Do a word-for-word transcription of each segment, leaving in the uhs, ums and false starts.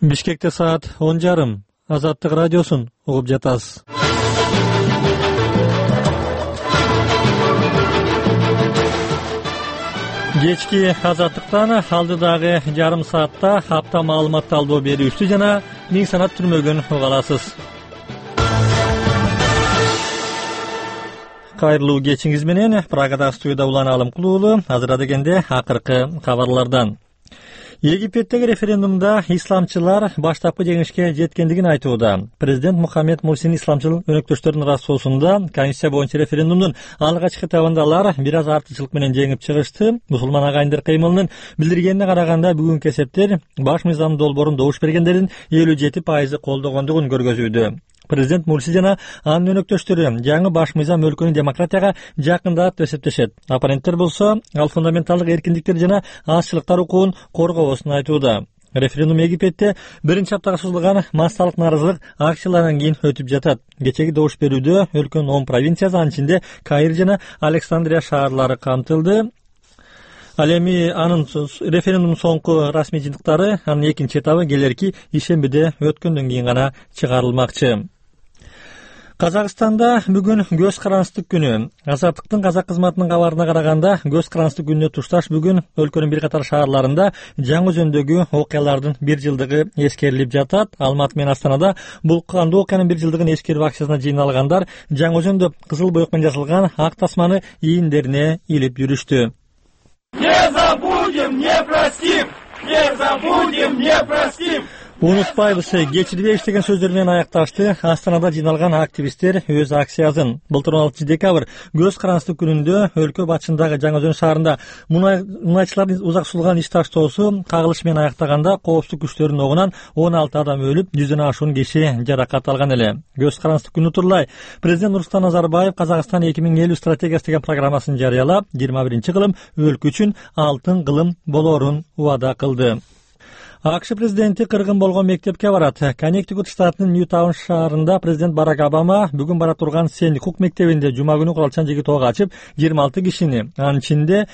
Бишкекте саат он жарым. Азаттык радиосун угуп жатасыз. Кечки Азаттыктан алдыдагы жарым саатта апта маалымат талдоо берүүчү жана миң санат түрмөгүн уга аласыз. Кайрылуу кечиңиз менен Прагада студияда Улан Алымкулуулу. Азыр дегенде акыркы кабарлардан. Египеттеги референдумда исламчылар баштапкы жеңишке жеткендигин айтууда. Президент Мухаммед Мурсинин исламчыл өнөктөштөрүнүн ырастоосунда Конституция боюнча референдумдун алгачкы этабында алар бир аз артыкчылык менен жеңип чыгышты. Мусулман агайындар кыймылынын билдиргенине караганда бүгүнкү эсептер баш мыйзам долбоорун добуш бергендердин элүү жети пайызы колдогондугун көргөзүүдө. Президент Мурси жана анын өнөктөштөрү жаңы баш мыйзам өлкөнү демократияга жакындатат деп эсептешет. Оппоненттер болсо ал фундаменталдык эркиндиктер жана азчылыктар укугун коргоосун айтууда. Референдум Египетте биринчи аптага созулган массалык нааразылык акцияларынан кийин өтүп жатат. Кечеги добуш берүүдө өлкөнүн он провинциясы, анын ичинде Каир жана Александрия шаарлары камтылды. Ал эми анын референдумдун соңку расмий жыйынтыктары, анын экинчи этабы келерки ишембиде өткөндөн кийин гана чыгарылмакчы. Казакстанда бүгүн көз карандык күнү. Азаттыктын казак кызматынын кабарына караганда, көз карандык күнүнө тушташ бүгүн өлкөнүн бир катар шаарларында жаңы өзөндөгү окуялардын бир жылдыгы эскерилип жатат. Алматы менен Астанада бул кандуу окуянын бир жылдыгын эскерип акциясына жыйналгандар жаңы өзөндө кызыл боек менен жасалган ак тасманы ийиндерине илип жүрүштү. Не забудем, не простим! Не забудем, не простим! Унутпайбыз, кечирбейбиз деген сөздөр менен аякташты Астанада жыйналган активисттер өз акциясын. Былтыр он алтынчы декабрь көз карандык күнүндө өлкө батышындагы Жаңы Өзөн шаарында мунайчылардын узак сулган иш таштоосу кагылыш менен аяктаганда коопсуздук күчтөрүнүн огунан он алты адам өлүп, жүздөн ашуун киши жаракат алган эле. Көз карандык күнү турлай президент Нурсултан Назарбаев Казакстан эки миң элүү стратегиясы деген программасын жарыялап, жыйырма биринчи кылым өлкө үчүн алтын кылым болоорун убада кылды. АКШ президенти кыргын болгон мектепке барат. Коннектикут штатынын Ньютаун шаарында президент Барак Обама бүгүн бара турган Сэнди Хук мектебинде жума күнү куралчан жеке тоого ачып, жыйырма алты кишини, анын ичинде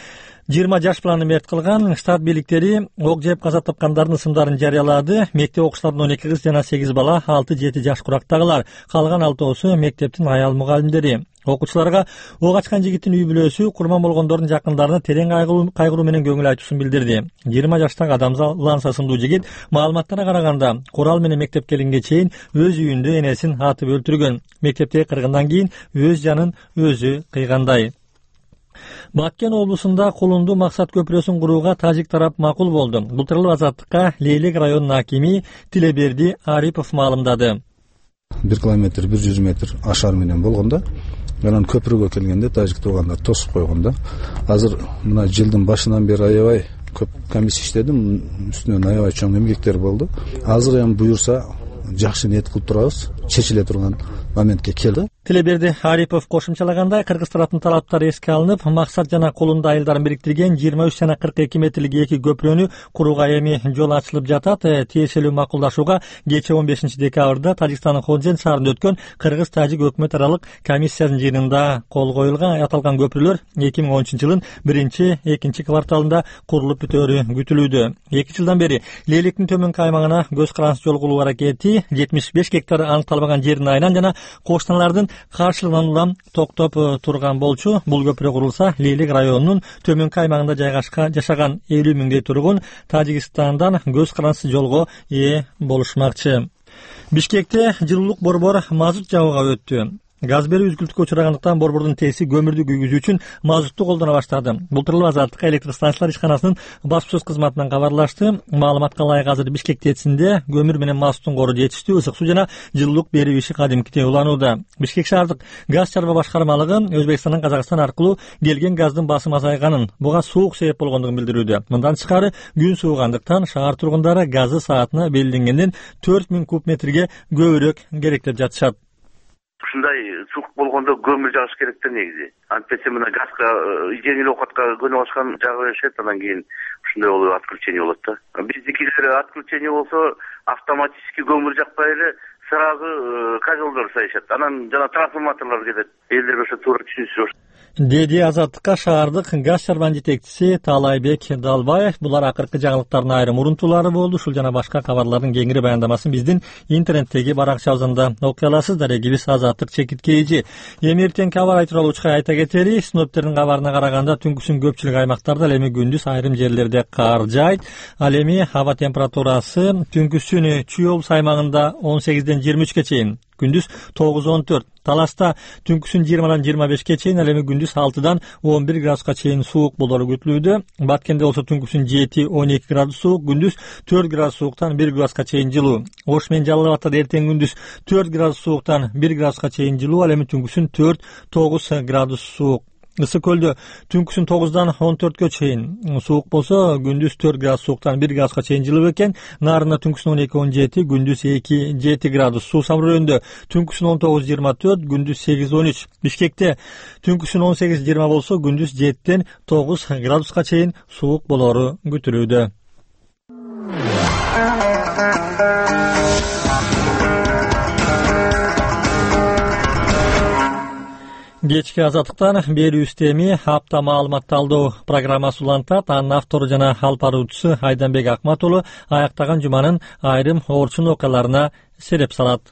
жыйырма жаш баланы мерт кылган. Штат бийликтери ок жеп каза тапкандардын ысымдарын жарыялады. Мектеп окуучуларынын он эки кыз жана сегиз бала, алты жети жаш курактагылар. Калган алтоосу мектептин аял мугалимдери. Окуучуларга ок ачкан жигиттин үй бүлөсү курман болгондордун жакындарына терең кайгыруу менен көңүл айтуусун билдирди. жыйырма жаштагы Адамза сымдуу жигит маалыматтарга караганда курал менен мектепке келгенге чейин өз үйүндө энесин атып өлтүргөн. Мектептеги кыргындан кийин өз жанын өзү кыйгандай. Баткен облусунда Кулунду Максат көпүрөсүн курууга тажик тарап макул болду. Бул тууралуу Азаттыкка Лейлек районунун акими Тилеберди Арипов маалымдады. бир километр бир жүз метр ашар менен болгондо, анан көпүрөгө келгенде тажик туугандар тосуп койгондо. Азыр мына жылдын башынан бери аябай көп комиссия иштедим, үстүнөн аябай чоң эмгектер болду. Азыр эми буюрса жакшы ниет кылып турабыз, чечиле турган моментке келди. Тилеберди Арипов кошумчалагандай, кыргыз тараптын талаптары эске алынып, Максат жана Кулунду айылдарын бириктирген жыйырма үч жана кырк эки метрлик эки көпүрөнү курууга эми жол ачылып жатат. Тиешелүү макулдашууга кечээ он бешинчи декабрда Тажикстандын Ходжент шаарында өткөн кыргыз-тажик өкмөт аралык комиссиянын жыйынында кол коюлган. Аталган көпүрөлөр эки миң он үчүнчү жылдын биринчи экинчи кварталында курулуп бүтөөрү күтүлүүдө. эки жылдан бери Лейлектин төмөнкү аймагына көз карандык жол куруу аракети жетимиш беш гектар аныкталбаган жердин айынан жана кошуналардын каршылыгынан улам токтоп турган болчу. Бул көпүрө курулса, Лейлек районунун төмөнкү аймагында жайгашкан жашаган элүү миңдей тургун Тажикстандан көз карандысыз жолго ээ болушмакчы. Бишкекте жылуулук борбор мазут жабууга өттү. Газ берүү үзгүлтүккө учурагандыктан борбордун тээси көмүрдү күйгүзүү үчүн мазутту колдоно баштады. Бул тууралуу Азаттыкка электр станциялар ишканасынын баспасөз кызматынан кабарлашты. Маалыматка ылайык азыр Бишкек тээсинде көмүр менен мазуттун кору жетиштүү, ысык суу жана жылуулук берүү иши кадимкидей уланууда. Бишкек шаардык газ чарба башкармалыгы Өзбекстандан Казакстан аркылуу келген газдын басымы азайганын, буга суук себеп болгондугун билдирүүдө. Мындан тышкары күн суугандыктан шаар тургундары газы саатына белгиленгенден төрт миң куб метрге көбүрөөк керек деп жатышат. Ушундай суук болгондо көмүр жагыш керек да негизи. Антпесе мына газга жеңил оокатка көнүп алышкан жагы беришет, анан кийин ушундай болуп отключение болот да. Биздикилер отключение болсо автоматически көмүр жакпай эле сразу кабелдер сайышат. Анан жана трансформаторлор кетет. Элдер ошо туура түшүнүшүп. деди Азаттыкка шаардык газ чарбан жетекчиси Таалайбек Далбаев. Булар акыркы жаңылыктардын айрым урунтуулары болду. Ушул жана башка кабарлардын кеңири баяндамасын биздин интернеттеги баракчабызда окуй аласыздар. Эгибиз Азаттык чекит кейжи. Эми эртеңки аба ырайы тууралуу учка айта кетели. Синоптиктердин кабарына караганда түнкүсүн көпчүлүк аймактарда, ал эми күндүз айрым жерлерде кар жайт. Ал эми аба температурасы түнкүсүн Чүй облус аймагында он сегизден жыйырма үчкө чейин, күндүз тогуз он төрт. Таласта түнкүсүн жыйырмадан жыйырма бешке чейин, ал эми күндүз алтыдан он бир градуска чейин суук болору күтүлүүдө. Баткенде болсо түнкүсүн жети он эки градус суук, күндүз төрт градус сууктан бир градуска чейин жылуу. Ош менен Жалал Абадта эртең күндүз төрт градус сууктан бир градуска чейин жылуу, ал эми түнкүсүн төрт тогуз градус суук. Ысык көлдө түнкүсүн тогуздан он төрткө чейин суук болсо, күндүз төрт градус сууктан бир градуска чейин жылуу экен. Нарында түнкүсүн он эки он жети, күндүз эки жети градус. Суу самрөөнүндө түнкүсүн он тогуз жыйырма төрт, күндүз сегиз он үч. Бишкекте түнкүсүн он сегиз жыйырма болсо, күндүз жетиден тогуз градуска чейин суук болору күтүлүүдө. Кечки Азаттыктан берүүбүздө эми апта маалымат талдоо программасы улантат. Анын автору жана алып баруучусу Айданбек Акмат уулу аяктаган жуманын айрым орчун окуяларына сереп салат.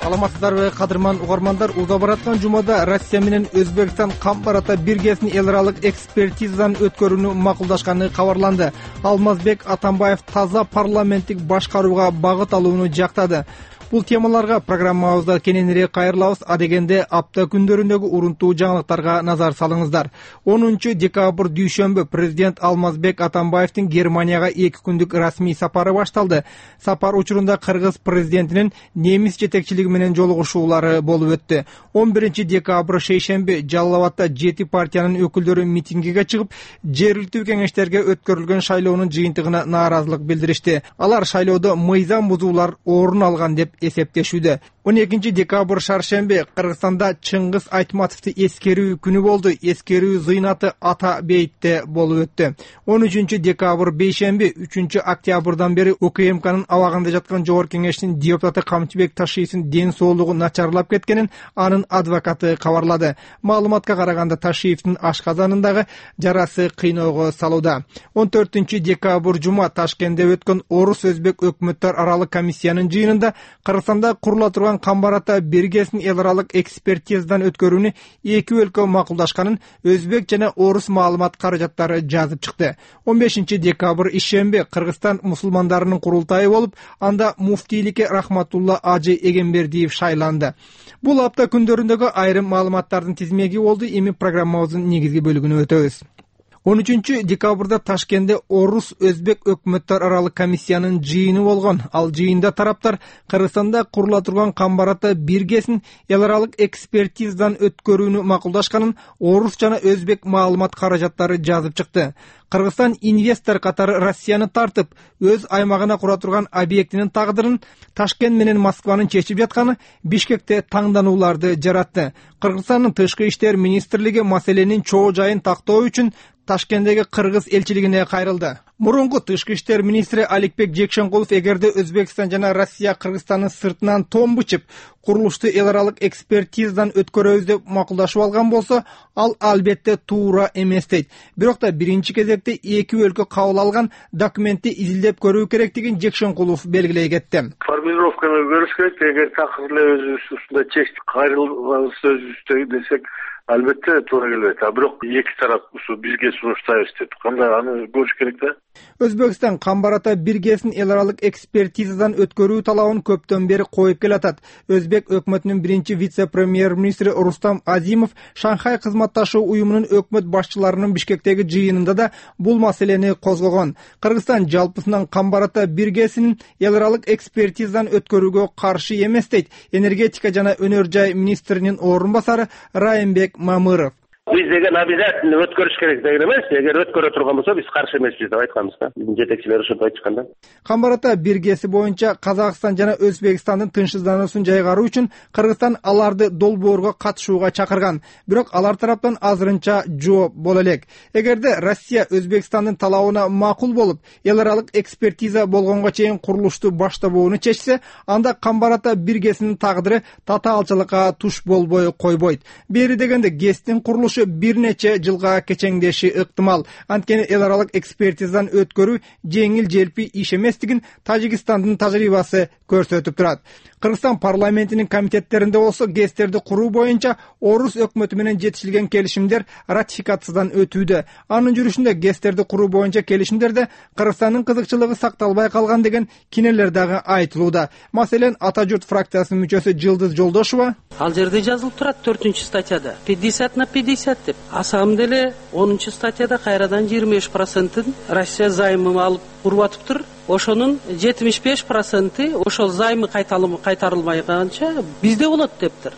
Саламатсыздарбы, кадырман угармандар? Уза бараткан жумада Россия менен Өзбекстан кам барата биргесин эл аралык экспертизадан өткөрүүнү макулдашканы кабарланды. Алмазбек Атамбаев таза парламенттик башкарууга багыт алууну жактады. Бул темаларга программабызда кененирээк кайрылабыз. Адегенде апта күндөрүндөгү урунтуу жаңылыктарга назар салыңыздар. онунчу декабрь дүйшөмбү президент Алмазбек Атамбаевдин Германияга эки күндүк расмий сапары башталды. Сапар учурунда Кыргыз президентинин немис жетекчилиги менен жолугушуулары болуп өттү. он биринчи декабрь шейшемби Жалал Абадта жети партиянын өкүлдөрү митингиге чыгып, жергиликтүү кеңештерге өткөрүлгөн шайлоонун жыйынтыгына нааразылык билдиришти. Алар шайлоодо мыйзам бузуулар орун алган деп эсептешүүдө. он экинчи декабрь шаршемби Кыргызстанда Чыңгыз Айтматовду эскерүү күнү болду. Эскерүү зыйнаты Ата бейитте болуп өттү. он үчүнчү декабрь бейшемби үчүнчү октябрдан бери УКМКнын абагында жаткан Жогорку Кеңештин депутаты Камчыбек Ташиевдин ден соолугу начарлап кеткенин анын адвокаты кабарлады. Маалыматка караганда Ташиевдин ашказанындагы жарасы кыйноого салууда. он төртүнчү декабрь жума Ташкентте өткөн Орус Өзбек өкмөттөр аралык комиссиянын жыйынында Кыргызстанда курула турган кам барата биргесин эл аралык экспертизадан өткөрүүнү эки өлкө макулдашканын Өзбек жана Орус маалымат каражаттары жазып чыкты. он бешинчи декабрь ишемби Кыргызстан мусулмандарынын курултайы болуп, анда муфтийликке Рахматулла Ажы Эгембердиев шайланды. Бул апта күндөрүндөгү айрым маалыматтардын тизмеги болду. Эми программабыздын негизги бөлүгүнө өтөбүз. он үчүнчү декабрда Ташкентте Орус Өзбек өкмөттөр аралык комиссиянын жыйыны болгон. Ал жыйында тараптар Кыргызстанда курула турган кам барата биргесин эл аралык экспертизадан өткөрүүнү макулдашканын Орус жана Өзбек маалымат каражаттары жазып чыкты. Кыргызстан инвестор катары Россияны тартып, өз аймагына кура турган объектинин тагдырын Ташкент менен Москванын чечип жатканы Бишкекте таңданууларды жаратты. Кыргызстандын тышкы иштер министрлиги маселенин чоо жайын тактоо үчүн Ташкенттеги Кыргыз элчилигине кайрылды. Мурунку тышкы иштер министри Аликбек Жекшенкулов эгерде Өзбекстан жана Россия Кыргызстандын сыртынан том бычып, курулушту эл аралык экспертизадан өткөрөбүз деп макулдашып алган болсо, ал албетте туура эмес дейт. Бирок да биринчи кезекте эки өлкө кабыл алган документти изилдеп көрүү керектигин Жекшенкулов белгилей кетти. Формулировканы көрүш керек. Эгер такыр эле өзүбүз ушундай чечтик кайрылганыбыз өзүбүздө десек, албетте туура келбейт. А бирок эки тарап ушу бизге сунуштайбыз деп кандай аны көрүш керек да. Өзбекстан кам барата биргесин эл аралык экспертизадан өткөрүү талабын көптөн бери коюп келатат. Өзбек өкмөтүнүн биринчи вице-премьер-министри Рустам Азимов Шанхай кызматташуу уюмунун өкмөт башчыларынын Бишкектеги жыйынында да бул маселени козгогон. Кыргызстан жалпысынан кам барата биргесин эл аралык экспертизадан өткөрүүгө каршы эмес дейт энергетика жана өнөр жай министринин орун басары Райымбек Мамыров. Биз деген обязательно өткөрүш керек деген эмес. Эгер өткөрө турган болсо биз каршы эмеспиз деп айтканбыз да. Биздин жетекчилер ошентип айтышкан да. Камбар ата биргеси боюнча Казакстан жана Өзбекстандын тынчсыздануусун жайгаруу үчүн Кыргызстан аларды долбоорго катышууга чакырган. Бирок алар тараптан азырынча жооп боло элек. Эгерде Россия Өзбекстандын талабына макул болуп, эл аралык экспертиза болгонго чейин курулушту баштабоону чечсе, анда Камбар ата биргесинин тагдыры татаалчылыкка туш болбой койбойт. Бери дегенде ГЭСтин курулушу бир нече жылга кечеңдеши ыктымал. Анткени эл аралык экспертизадан өткөрүү жеңил желпи иш эместигин Тажикстандын тажрыйбасы көрсөтүп турат. Кыргызстан парламентинин комитеттеринде болсо ГЭСтерди куруу боюнча Орус өкмөтү менен жетишилген келишимдер ратификациядан өтүүдө. Анын жүрүшүндө ГЭСтерди куруу боюнча келишимдерде Кыргызстандын кызыкчылыгы сакталбай калган деген кинелер дагы айтылууда. Маселен, Ата журт фракциясынын мүчөсү Жылдыз Жолдошова: Ал жерде жазылып турат төртүнчү статьяда пятьдесят на пятьдесят деп. А самом деле онунчу статьяда кайрадан жыйырма беш процентин Россия займы алып куруп атыптыр. Ошонун жетимиш беш проценти ошол займы кайтарылмайганча бизде болот дептир.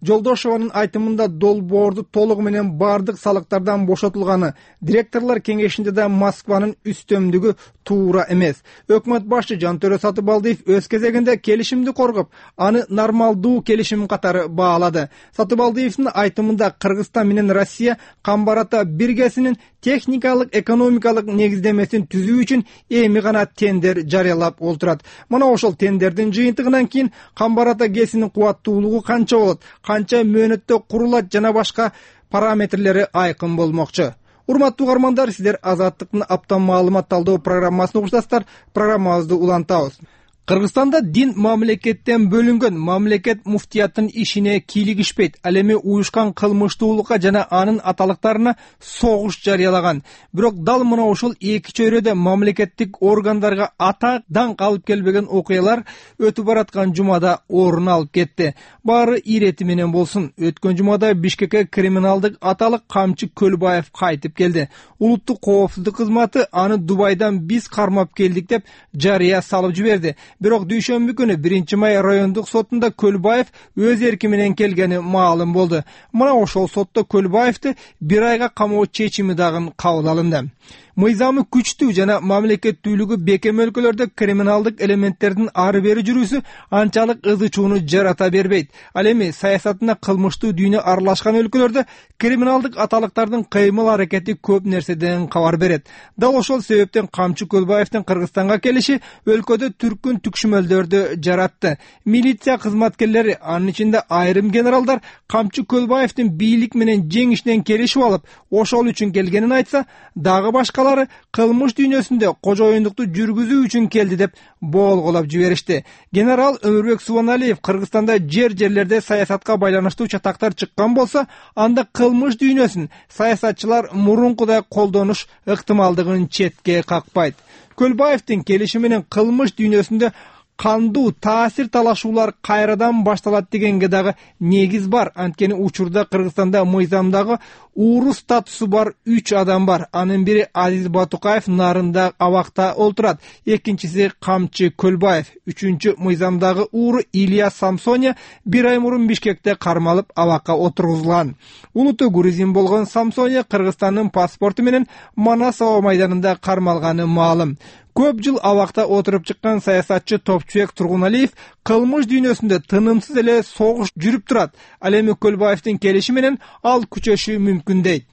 Жолдошованын айтымында долбоорду толугу менен бардык салыктардан бошотулганы, директорлор кеңешинде да Москванын үстөмдүгү туура эмес. Өкмөт башчы Жантөрө Сатыбалдиев өз кезегинде келишимди коргоп, аны нормалдуу келишим катары баалады. Сатыбалдиевдин айтымында Кыргызстан менен Россия Камбар ата биргесинин техникалык экономикалык негиздемесин түзүү үчүн эми гана тендер жарыялап олтурат. Мына ошол тендердин жыйынтыгынан кийин Камбар ата ГЭСинин кубаттуулугу канча болот, канча мөөнөттө курулат жана башка параметрлери айкын болмокчу. Урматтуу угармандар, сиздер Азаттыктын аптан маалымат талдоо программасын угуштасыздар. Программабызды улантабыз. Кыргызстанда дин мамлекеттен бөлүнгөн, мамлекет муфтияттын ишине кийлигишпейт. Ал эми уюшкан кылмыштуулукка жана анын аталыктарына согуш жарыялаган. Бирок дал мына ошол эки чөйрөдө мамлекеттик органдарга атак даңк алып келбеген окуялар өтүп бараткан жумада орун алып кетти. Баары ирети менен болсун. Өткөн жумада Бишкекке криминалдык аталык Камчы Көлбаев кайтып келди. Улуттук коопсуздук кызматы аны Дубайдан биз кармап келдик деп жарыя салып жиберди. Бирок дүйшөмбү күнү биринчи май райондук сотунда Көлбаев өз эрки менен келгени маалым болду. Мына ошол сотто Көлбаевди бир айга камоо чечими дагы кабыл алынды. Мыйзамы күчтүү жана мамлекеттүүлүгү бекем өлкөлөрдө криминалдык элементтердин ары бери жүрүүсү анчалык ызы чууну жарата бербейт. Ал эми саясатына кылмыштуу дүйнө аралашкан өлкөлөрдө криминалдык аталыктардын кыймыл аракети көп нерседен кабар берет. Дал ошол себептен Камчы Көлбаевдин Кыргызстанга келиши өлкөдө түркүн түкшүмөлдөрдү жаратты. Милиция кызматкерлери, анын ичинде айрым генералдар Камчы Көлбаевдин бийлик менен жеңишинен келишип алып, ошол үчүн келгенин айтса, дагы башкалар кылмыш дүйнөсүндө кожоюндукту жүргүзүү үчүн келди деп болголоп жиберишти. Генерал Өмүрбек Субаналиев Кыргызстанда жер жерлерде саясатка байланыштуу чатактар чыккан болсо, анда кылмыш дүйнөсүн саясатчылар мурункудай колдонуш ыктымалдыгын четке какпайт. Көлбаевдин келиши менен кылмыш дүйнөсүндө кандуу таасир талашуулар кайрадан башталат дегенге дагы негиз бар. Анткени учурда Кыргызстанда мыйзамдагы ууру статусу бар үч адам бар. Анын бири Азиз Батукаев нарында абакта олтурат. Экинчиси Камчы Көлбаев. Үчүнчү мыйзамдагы ууру Илья Самсоня бир ай мурун Бишкекте кармалып абакка отургузулган. Улуттуу грузин болгон Самсоня Кыргызстандын паспорту менен Манас аба майданында кармалганы маалым. Көп жыл абакта отуруп чыккан саясатчы Топчубек Тургуналиев кылмыш дүйнөсүндө тынымсыз эле согуш жүрүп турат. Ал эми Көлбаевдин келиши менен ал күчөшү мүмкүн дейт.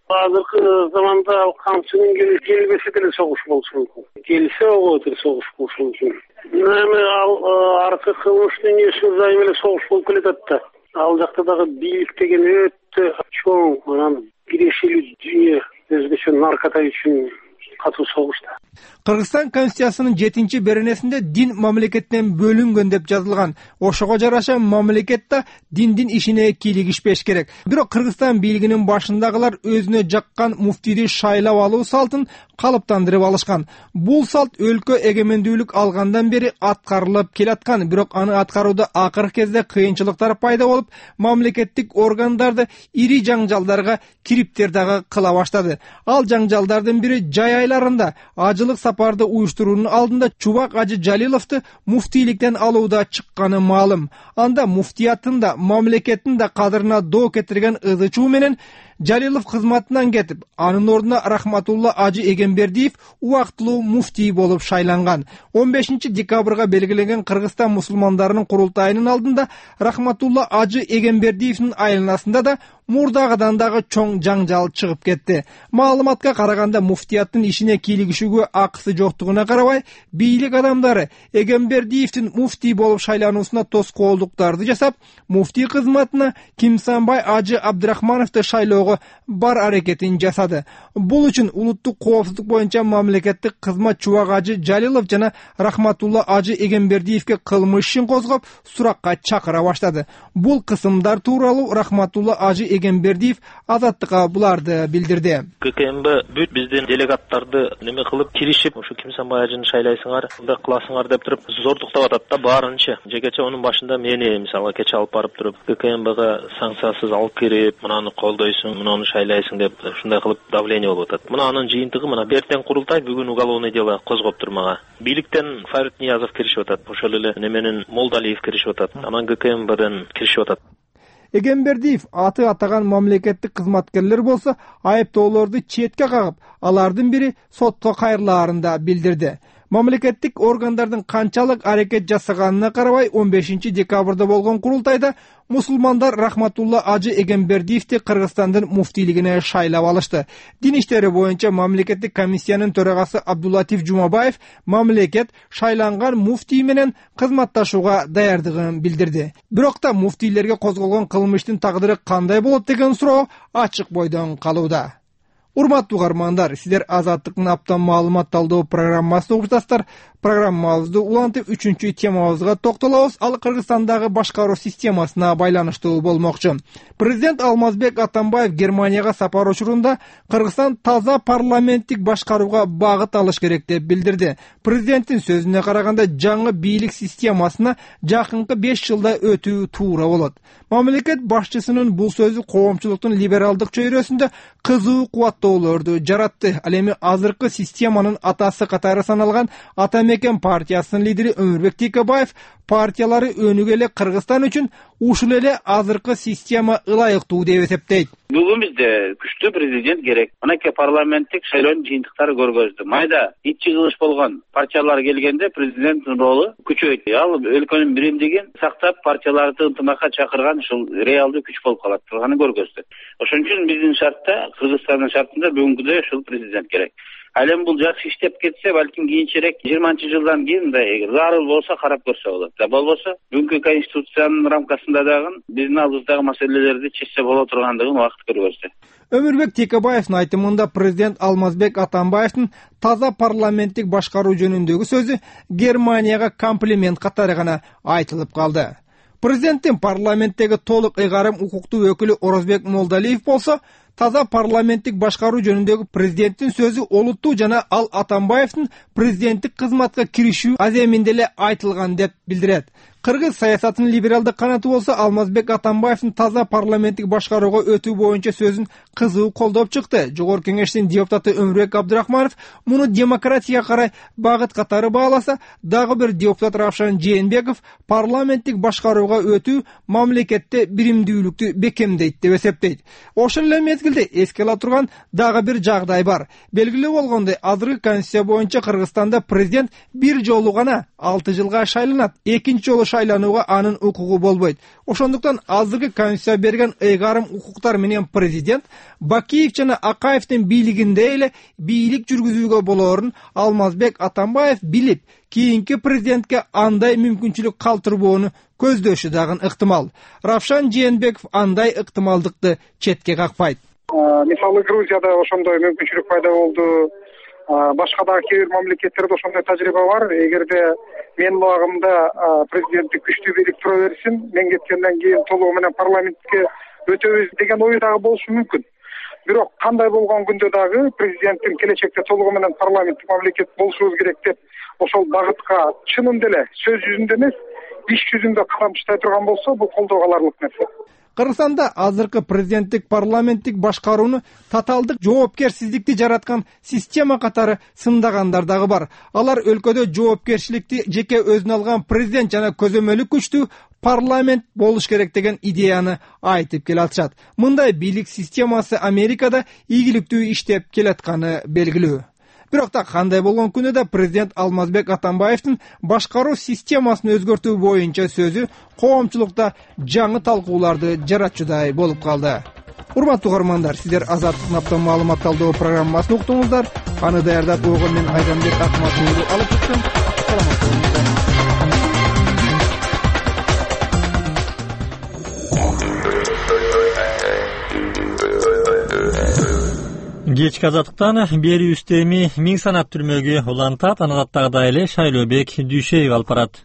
Азыркы заманда Камчынын келбесе деле согуш болушу мүмкүн. Келсе оготур согуш болушу мүмкүн. Эми ал аркы кылмыш дүйнөсү зайым эле согуш болуп келатат да. Ал жакта дагы бийлик деген өтө чоң, анан бирешилүү дүйнө, өзгөчө наркота үчүн катуу согушта. Кыргызстан Конституциясынын жетинчи беренесинде дин мамлекеттен бөлүнгөн деп жазылган. Ошого жараша мамлекетте диндин ишине кийлигишпеш керек. Бирок Кыргызстан бийлигинин башындагылар өзүнө жаккан муфтийди шайлап алуу салтын калыптандырып алышкан. Бул салт өлкө эгемендүүлүк алгандан бери аткарылып келаткан, бирок аны аткарууда акыркы кезде кыйынчылыктар пайда болуп, мамлекеттик органдарды ири жаңжалдарга кириптер дагы кыла баштады. Ал жаңжалдардын бири жай айларында ажылык сапарды уюштуруунун алдында Чубак Ажы Жалиловду муфтийликтен алууда чыкканы маалым. Анда муфтияттын да, мамлекеттин да кадырына доо кетирген ызы чуу менен Жалилов кызматынан кетип, анын ордуна Рахматулла Ажы Эгембердиев убактылуу муфтий болуп шайланган. он бешинчи декабрга белгиленген Кыргызстан мусулмандарынын курултайынын алдында Рахматулла Ажы Эгембердиевдин айланасында да мурдагыдан дагы чоң жаңжал чыгып кетти. Маалыматка караганда, муфтияттын ишине кийлигишүүгө акысы жоктугуна карабай, бийлик адамдары Эгембердиевдин муфтий болуп шайлануусуна тоскоолдуктарды жасап, муфтий кызматына Кимсанбай Ажы Абдрахмановду шайлоого бар аракетин жасады. Бул үчүн улуттук коопсуздук боюнча мамлекеттик кызмат Чубак Ажы Жалилов жана Рахматулла Ажы Эгембердиевге кылмыш ишин козгоп, суракка чакыра баштады. Бул кысымдар тууралуу Рахматулла Ажы Эгембердиев Азаттыкка буларды билдирди. ККМБ бүт биздин делегаттарды неме кылып киришип, ушу Кимсанбай Ажыны шайлайсыңар, мындай кыласыңар деп туруп зордуктап атат да баарынча. Жекече онун башында мени мисалга кече алып барып туруп, ККМБга санкциясыз алып кирип, мынаны колдойсуң, мынаны шайлайсың деп ушундай кылып давление болуп атат. Мына анын жыйынтыгы мына эртең курултай, бүгүн уголовный дело козгоптур мага. Бийликтен Фарид Ниязов киришип атат, ошол эле неменен Молдалиев киришип атат, анан ККМБден киришип атат. Эгембердиев аты атаган мамлекеттик кызматкерлер болсо, айыптоолорду четке кагып, алардын бири сотко кайрылаарын да билдирди. Мамлекеттик органдардын канчалык аракет жасаганына карабай, он бешинчи декабрда болгон курултайда мусулмандар Рахматулла Ажы Эгембердиевди Кыргызстандын муфтийлигине шайлап алышты. Дин иштери боюнча мамлекеттик комиссиянын төрагасы Абдуллатиф Жумабаев мамлекет шайланган муфтий менен кызматташууга даярдыгын билдирди. Бирок да муфтийлерге козголгон кылмыштын тагдыры кандай болот деген суроо ачык бойдон калууда. Урматтуу угармандар, сиздер Азаттыктын аптан маалымат талдоо программасын угуп жатасыздар. Программабызды улантып үчүнчү темабызга токтолобуз. Ал Кыргызстандагы башкаруу системасына байланыштуу болмокчу. Президент Алмазбек Атамбаев Германияга сапар учурунда Кыргызстан таза парламенттик башкарууга багыт алыш керек деп билдирди. Президенттин сөзүнө караганда, жаңы бийлик системасына жакынкы беш жылда өтүү туура болот. Мамлекет башчысынын бул сөзү коомчулуктун либералдык чөйрөсүндө кызуу кубаттоолорду жаратты. Ал эми азыркы системанын атасы катары саналган Атамекен партиясынын лидери Өмүрбек Текебаев партиялары өнүгө эле Кыргызстан үчүн ушул эле азыркы система ылайыктуу деп эсептейт. Бүгүн бизде күчтүү президент керек. Анакей парламенттик шайлоонун жыйынтыктары көргөздү. Майда ичи кылыш болгон партиялар келгенде президенттин ролу күчөйт. Ал өлкөнүн биримдигин сактап, партияларды ынтымакка чакырган ушул реалдуу күч болуп калат турганын көргөздү. Ошон үчүн биздин шартта, Кыргызстандын шартында бүгүнкүдөй ушул президент керек. Ал эми бул жакшы иштеп кетсе, балким кийинчерээк жыйырманчы жылдан кийин мындай зарыл болсо карап көрсө болот. Да болбосо бүгүнкү конституциянын рамкасында дагы биздин алдыбыздагы маселелерди чечсе боло тургандыгын убакыт көргөздү. Өмүрбек Текебаевдин айтымында президент Алмазбек Атамбаевдин таза парламенттик башкаруу жөнүндөгү сөзү Германияга комплимент катары гана айтылып калды. Президенттин парламенттеги толук ыйгарым укуктуу өкүлү Орозбек Молдалиев болсо, таза парламенттик башкаруу жөнүндөгү президенттин сөзү олуттуу жана ал Атамбаевдин президенттик кызматка киришүү аземинде эле айтылган деп билдирет. Кыргыз саясатынын либералдык канаты болсо, Алмазбек Атамбаевдин таза парламенттик башкарууга өтүү боюнча сөзүн кызуу колдоп чыкты. Жогорку кеңештин депутаты Өмүрбек Абдрахманов муну демократияга карай багыт катары бааласа, дагы бир депутат Равшан Жээнбеков парламенттик башкарууга өтүү мамлекетте биримдүүлүктү бекемдейт деп эсептейт. Ошол эле мезгилде эске ала турган дагы бир жагдай бар. Белгилүү болгондой, азыркы конституция боюнча Кыргызстанда президент бир жолу гана алты жылга шайланат. Экинчи жолу шайланууга анын укугу болбойт. Ошондуктан азыркы конституция берген ыйгарым укуктар менен президент Бакиев жана Акаевдин бийлигинде эле бийлик жүргүзүүгө болоорун Алмазбек Атамбаев билип, кийинки президентке андай мүмкүнчүлүк калтырбоону көздөшү дагы ыктымал. Равшан Жээнбеков андай ыктымалдыкты четке какпайт. Мисалы Грузияда ошондой мүмкүнчүлүк пайда болду. Башка дагы кээ бир мамлекеттерде ошондой тажрыйба бар. Эгерде менин убагымда президенттик күчтүү бийлик тура берсин, мен кеткенден кийин толугу менен парламентке өтөбүз деген ой дагы болушу мүмкүн. Бирок кандай болгон күндө дагы президенттин келечекте толугу менен парламенттик мамлекет болушубуз керек деп ошол багытка чынында эле сөз жүзүндө эмес, иш жүзүндө кадам таштай турган болсо, бул колдоого аларлык нерсе. Кыргызстанда азыркы президенттик парламенттик башкарууну татаалдык жоопкерсиздикти жараткан система катары сындагандар дагы бар. Алар өлкөдө жоопкерчиликти жеке өзүнө алган президент жана көзөмөлү күчтүү парламент болуш керек деген идеяны айтып келатышат. Мындай бийлик системасы Америкада ийгиликтүү иштеп келатканы белгилүү. Бирок да кандай болгон күнү да президент Алмазбек Атамбаевдин башкаруу системасын өзгөртүү боюнча сөзү коомчулукта жаңы талкууларды жаратчудай болуп калды. Урматтуу угармандар, сиздер Азаттык наптан маалымат талдоо программасын уктуңуздар. Аны даярдап койгон мен Айданбек Акматовду алып чыктым. Саламат болуңуздар. Кечки Азаттыктан берүүбүздө эми миң санат түрмөгү улантат, анадаттагыдай эле Шайлообек Дүйшеев алып барат.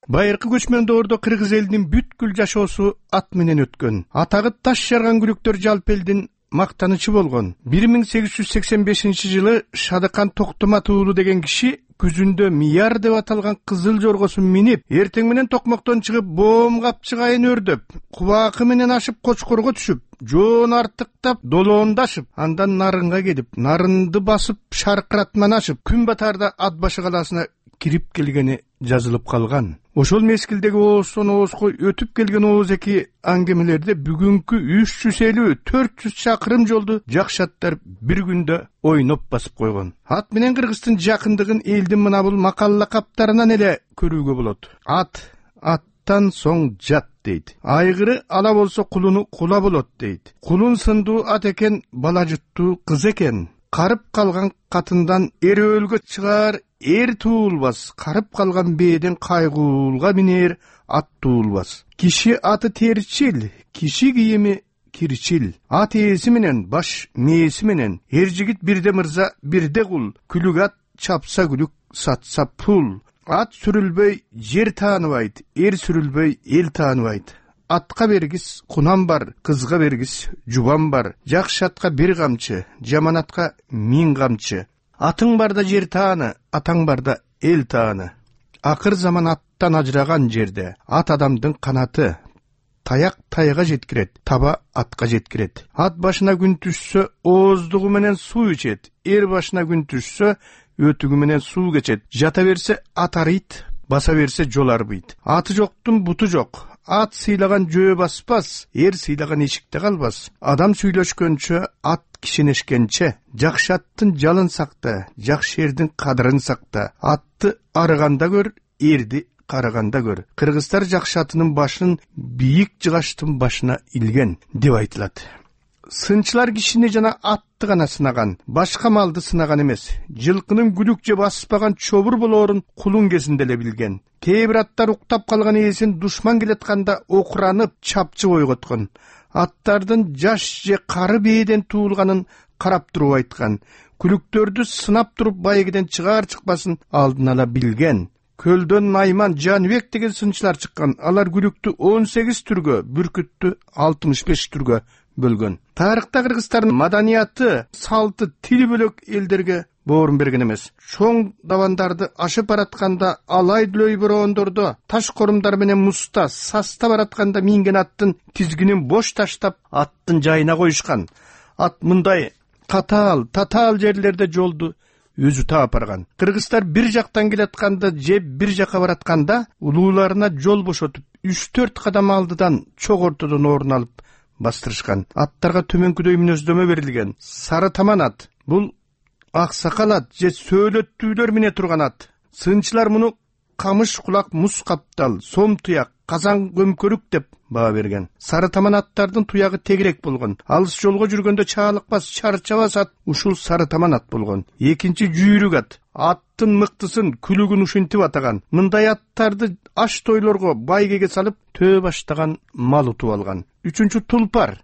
Байыркы көчмөн доордо кыргыз элинин бүткүл жашоосу ат менен өткөн. Атагы таш жарган күлүктөр жалпы элдин мактанычы болгон. бир миң сегиз жүз сексен бешинчи жылы Шадыкан Токтомат уулу деген киши күзүндө Мияр деп аталган кызыл жоргосун минип, эртең менен токмоктон чыгып, боом капчыгайын өрдөп, кубакы менен ашып Кочкорго түшүп, жоон артыктап, долоондашып, андан Нарынга келип, Нарынды басып, Шаркыратман ашып, күн батаарда Ат башы калаасына кирип келгени жазылып калган. Ошол мезгилдеги ооздон оозго өтүп келген ооз-эки аңгемелерде бүгүнкү үч жүз элүү төрт жүз чакырым жолду жакшаттар бир күндө ойноп басып койгон. Ат менен Кыргыздын жакындыгын элдин мына бул макалла каптарынан эле көрүүгө болот. Ат аттан соң жат дейт. Айгыры ала болсо кулуну кула болот дейт. Кулун сындуу ат экен, бала жуттуу кыз экен. Карып калган катындан эрөөлгө чыгаар эр туулбас, карып калган бээден кайгуулга минер ат туулбас. Киши аты терчил, киши кийими кирчил. Ат ээси менен, баш мээси менен, эр жигит бирде мырза, бирде кул. Күлүк ат чапса күлүк, сатса пул. Ат сүрүлбөй жер тааныбайт, эр сүрүлбөй эл тааныбайт. Атка бергис кунам бар, кызга бергис жубан бар. Жакшы атка бир камчы, жаман атка миң камчы. Атың барда жер тааны, атаң барда эл тааны. Акыр заман аттан ажыраган жерде ат адамдын канаты. Таяк тайга жеткирет, таба атка жеткирет. Ат башына күн түшсө, ооздугу менен суу ичет. Эр башына күн түшсө, өтүгү менен суу кечет. Жата берсе ат арыйт, баса берсе жол арбыйт. Аты жоктун буту жок. Ат сыйлаган жөө баспас, эр сыйлаган эшикте калбас. Адам сүйлөшкөнчө, ат кишенешкенче. Жакшы аттын жалын сакта, жакшы эрдин кадырын сакта. Атты арыганда көр, эрди караганда көр. Кыргыздар жакшы атынын башын бийик жыгаштын башына илген деп айтылат. Сынчылар кишини жана атты гана сынаган, башка малды сынаган эмес. Жылкынын күлүк же баспаган чобур болоорун кулун кезинде эле билген. Кээ бир аттар уктап калган ээсин душман келатканда окуранып, чапчы ойготкон. Аттардын жаш же кары бээден туулганын карап туруп айткан. Күлүктөрдү сынап туруп байгеден чыгаар чыкпасын алдын ала билген. Көлдөн Найман, Жаныбек деген сынчылар чыккан. Алар күлүктү он сегиз түргө, бүркүттү алтымыш беш түргө бөлгөн. Тарыхта кыргыздардын маданияты, салты, тили бөлөк элдерге боорун берген эмес. Чоң давандарды ашып баратканда, алай дүлөй бороондордо таш корумдар менен муста, саста баратканда минген аттын тизгинин бош таштап, аттын жайына коюшкан. Ат мындай катаал, татаал жерлерде жолду өзү таап барган. Кыргыздар бир жактан келатканда же бир жака баратканда улууларына жол бошотуп, үч төрт кадам алдыдан чок ортодон орун алып бастырышкан. Аттарга төмөнкүдөй мүнөздөмө берилген. Сары таман ат. Бул ак сакал ат же сөөлөттүүлөр мине турган ат. Сынчылар муну камыш кулак, муз каптал, сом туяк, казан көмкөрүк деп баа берген. Сары таман аттардын туягы тегирек болгон. Алыс жолго жүргөндө чаалыкпас, чарчабас ат ушул сары таман ат болгон. Экинчи жүйрүк ат. Аттын мыктысын, күлүгүн ушинтип атаган. Мындай аттарды аш тойлорго байгеге салып, төө баштаган мал утуп алган. Үчүнчү тулпар.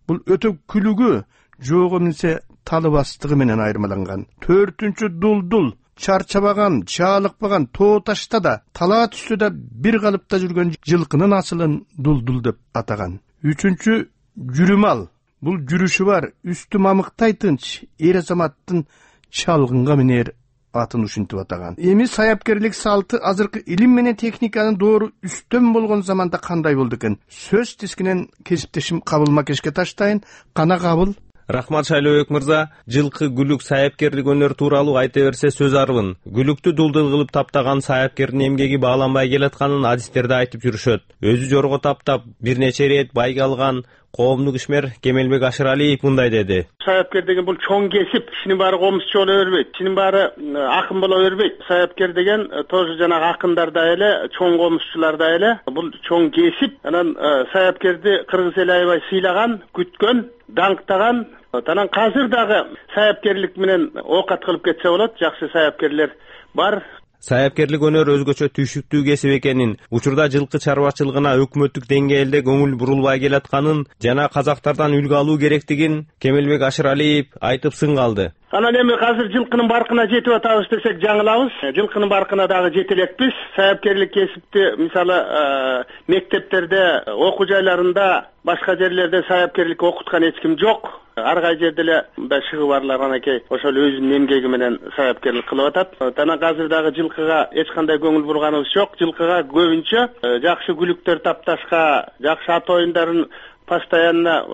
Бул өтө күлүгү, жоого минсе талы бастыгы менен айырмаланган. Төртүнчү дулдул. Чарчабаган, чаалыкпаган, тоо ташта да, талаа түстө да бир калыпта жүргөн жылкынын асылын дулдул деп атаган. Үчүнчү жүрүмал. Бул жүрүшү бар, үстү мамыктай тынч, эр азаматтын чалгынга минер атын ушинтип атаган. Эми саяпкерлик салты азыркы илим менен техниканын доору үстөн болгон заманда кандай болду экен? Сөз тискинен кесиптешим Кабыл Макешке таштайын. Кана Кабыл, Рахмат Шайлообек мырза, жылкы, гүлүк, саяпкерлик өнөр тууралуу айта берсе сөз арбын. Гүлүктү дулдул кылып таптаган саяпкердин эмгеги бааланбай келатканын адистерде айтып жүрүшөт. Өзү жорго таптап, бир нече ирет байга алган коомдук ишмер Кемелбек Ашыралиев мындай деди. Саяпкер деген бул чоң кесип, кишинин баары комузчу боло бербейт, кишинин баары акын боло бербейт. Саяпкер деген тоже жанагы акындар да эле, чоң комузчулар да эле. Бул чоң кесип. Анан саяпкерди кыргыз эли аябай сыйлаган, күткөн, даңктаган. Анан казыр дагы саяпкерлик менен оокат кылып кетсе болот. Жакшы саяпкерлер бар. Саяпкерлик өнөр өзгөчө түйшүктүү кесип экенин, учурда жылкы чарбачылыгына өкмөттүк деңгээлде көңүл бурулбай келатканын жана казактардан үлгү алуу керектигин Кемелбек Ашыралиев айтып сын калды. Анан эми азыр жылкынын баркына жетип атабыз десек жаңылабыз. Жылкынын баркына дагы жете элекпиз. Саяпкерлик кесипти мисалы мектептерде, окуу жайларында, башка жерлерде саяпкерлик окуткан эч ким жок. Ар кай жерде эле мындай шыгы барлар анакей ошол өзүнүн эмгеги менен саяпкерлик кылып атат. Анан азыр дагы жылкыга эч кандай көңүл бурганыбыз жок. Жылкыга көбүнчө жакшы күлүктөр тапташка, жакшы ат оюндарын постоянно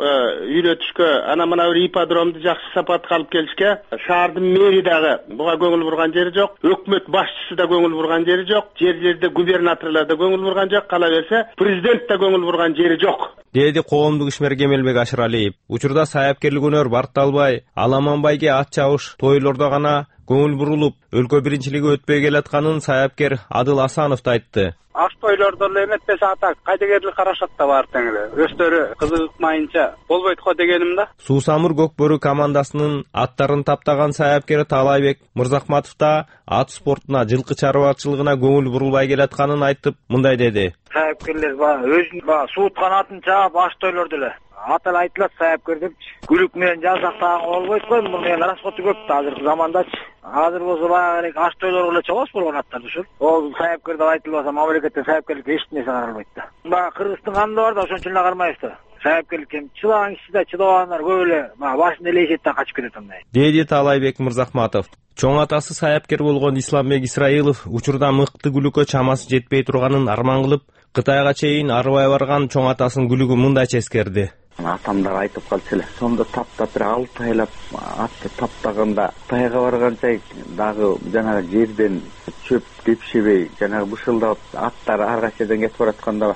үйрөтүшкө, ана мына бир ипподромду жакшы сапатка алып келишке, шаардын мэри дагы буга көңүл бурган жери жок, өкмөт башчысы да көңүл бурган жери жок, жер жерде губернаторлор да көңүл бурган жок, кала берсе президент да көңүл бурган жери жок, деди коомдук ишмер Кемелбек Ашыралиев. Учурда саяпкерлик өнөр барталбай, Аламанбайге ат чабыш тойлордо гана көңүл бурулуп, өлкө биринчилиги өтпөй келатканын саяпкер Адыл Асанов да айтты. Аш тойлордо эле эметпесе ата кайдыгерлик карашат да бар теңире. Өздөрү кызыгмайынча болбойт го дегеним да. Суусамыр Көкбөрү командасынын аттарын таптаган саяпкер Таалайбек Мырзахматов да ат спортуна, жылкы чарбачылыгына көңүл бурулбай келатканын айтып, мындай деди. Саяпкерлер баягы өзүнүн сууткан атын чаап аш тойлордо эле ат эле айтылат саяпкер депчи. Күлүк менен жазактаган болбойт го, муну менен расходу көп да азыркы замандачы. Азыр болсо баягы аш тойлорго эле чабабыз болгон аттарды ушул. Ол саяпкер деп айтылбаса мамлекеттен саяпкерликке эч нерсе каралбайт да. Баягы Кыргыздын канында бар да, ошон үчүн эле кармайбыз да. Саяпкерликке чыдаган киши да, чыдабагандар көп эле баягы башын элейишет да качып кетет андай. Деди Таалайбек Мырзахматов. Чоң атасы саяпкер болгон Исламбек Исраилов учурда мыкты күлүккө чамасы жетпей турганын арман кылып, Кытайга чейин арыбай барган чоң атасынын күлүгү мындайча эскерди. Атамдар айтып калчу эле, сонда таптап бир алты айлап атты таптаганда Кытайга барганча дагы жанагы жерден чөп кепшебей, жанагы бышылдап аттар ар кайсы жерден кетип баратканда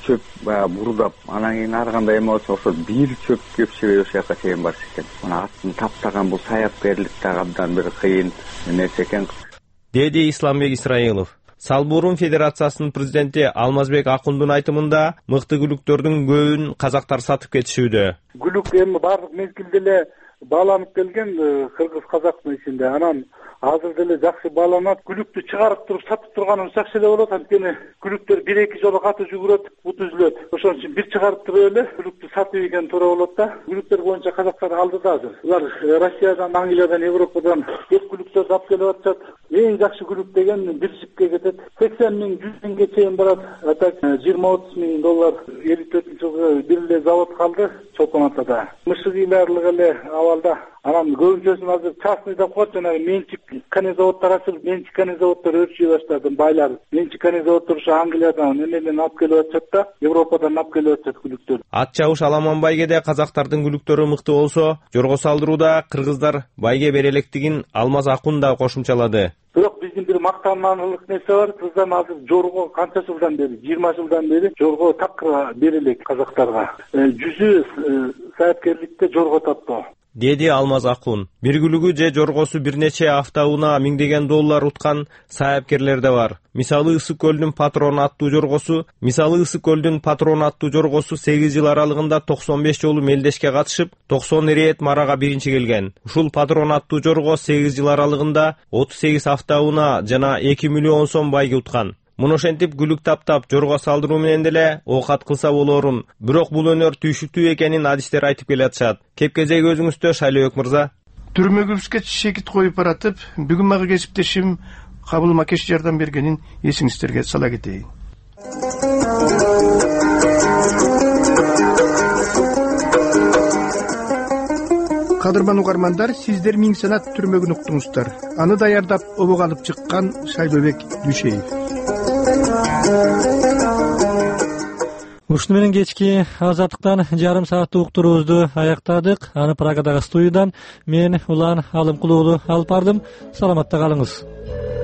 чөп бурдап, анан кийин ар кандай эме болсо ошо бир чөп кепшебей ошол жака чейин барыш экен. Мына аттын таптаган бул саяпкерлик да абдан бир кыйын нерсе экен, деди Исламбек Исраилов. Салбурун Федерациясынын президенти Алмазбек Акундун айтымында мыкты күлүктөрдүн көбүн казактар сатып кетишүүдө. Күлүк эми баардык мезгилде эле бааланып келген кыргыз казактын ичинде. Анан азыр деле жакшы бааланат. Күлүктү чыгарып туруп сатып турганыбыз жакшы эле болот. Анткени күлүктөр бир эки жолу каты жүгүрөт, бут үзүлөт. Ошон үчүн бир чыгарып туруп эле күлүктү сатып ийген туура болот да. Күлүктөр боюнча казактар алдыда азыр. Улар Россиядан, Англиядан, Европадан көп күлүктөрдү алып келип атышат. Эң жакшы күлүк деген бир жипке кетет. сексен миң, жүз миңге чейин барат. Атак жыйырма отуз миң доллар. элүү төртүнчү жылы бир эле завод калды Чолпон Атада. Мышыгыйларлык эле абалда. Анан көбүнчөсүн азыр частный деп коет, жанагы менчик канезаводдор ачылып, менчик канезаводдор өрчүй баштады, байлар. Менчик канезаводдор ошо Англиядан, эмеден алып келип атышат да, Европадан алып келип атышат күлүктөр. Ат чабыш Аламанбайгеде казактардын күлүктөрү мыкты болсо, жорго салдырууда кыргыздар байге бере электигин Алмаз Акун да кошумчалады. Бирок биздин бир мактанарлык нерсе бар. Кыргыздар азыр жорго канча жылдан бери, жыйырма жылдан бери жорго такыр бере элек казактарга. Жүзү саяпкерликте жорго таптоо, деди Алмаз Акун. Бир күлүгү же жоргосу бир нече автоунаа миңдеген доллар уткан саяпкерлер да бар. Мисалы Ысык көлдүн Патрон аттуу жоргосу, мисалы Ысык көлдүн Патрон аттуу жоргосу сегиз жыл аралыгында токсон беш жолу мелдешке катышып, токсон ирет марага биринчи келген. Ушул Патрон аттуу жорго сегиз жыл аралыгында отуз сегиз автоунаа жана эки миллион сом байге уткан. Муну ошентип күлүк таптап, жорго салдыруу менен деле оокат кылса болорун. Бирок бул өнөр түйшүктүү экенин адистер айтып келатышат. Кеп-кезек өзүңүздө, Шайлообек мырза. Түрмөгүбүзгө чекит коюп баратып, бүгүн мага кесиптешим Кабыл Макеш жардам бергенин эсиңиздерге сала кетейин. Кадырман угармандар, сиздер миң санат түрмөгүн уктуңуздар. Аны даярдап обого алып чыккан Шайлообек Дүйшеев. Ушуну менен кечки Азаттыктан жарым сааттык уктуруубузду аяктадык. Аны Прагадагы студиядан мен Улан Алымкулуу алып бардым. Саламатта калыңыз.